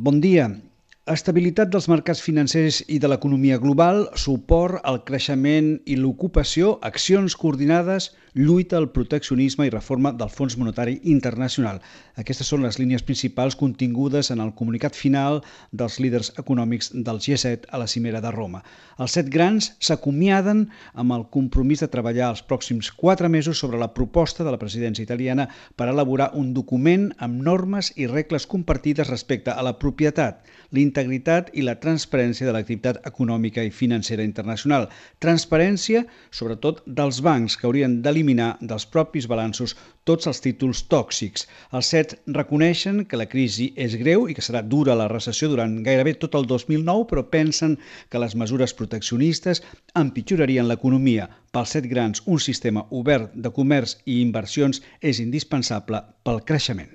Bon dia. Estabilitat dels mercats financers i de l'economia global, suport al creixement i l'ocupació, accions coordinades, lluita al proteccionisme i reforma del Fons Monetari Internacional. Aquestes són les línies principals contingudes en el comunicat final dels líders econòmics del G7 a la cimera de Roma. Els 7 grans s'acomiaden amb el compromís de treballar els pròxims 4 mesos sobre la proposta de la presidència italiana per elaborar un document amb normes i regles compartides respecte a la propietat, l'integritat i la transparència de l'activitat econòmica i financera internacional. Transparència, sobretot, dels bancs, que haurien d'eliminar dels propis balanços tots els títols tòxics. Els 7 reconeixen que la crisi és greu i que serà dura la recessió durant gairebé tot el 2009, però pensen que les mesures proteccionistes empitjorarien l'economia. Pels 7 grans, un sistema obert de comerç i inversions és indispensable pel creixement.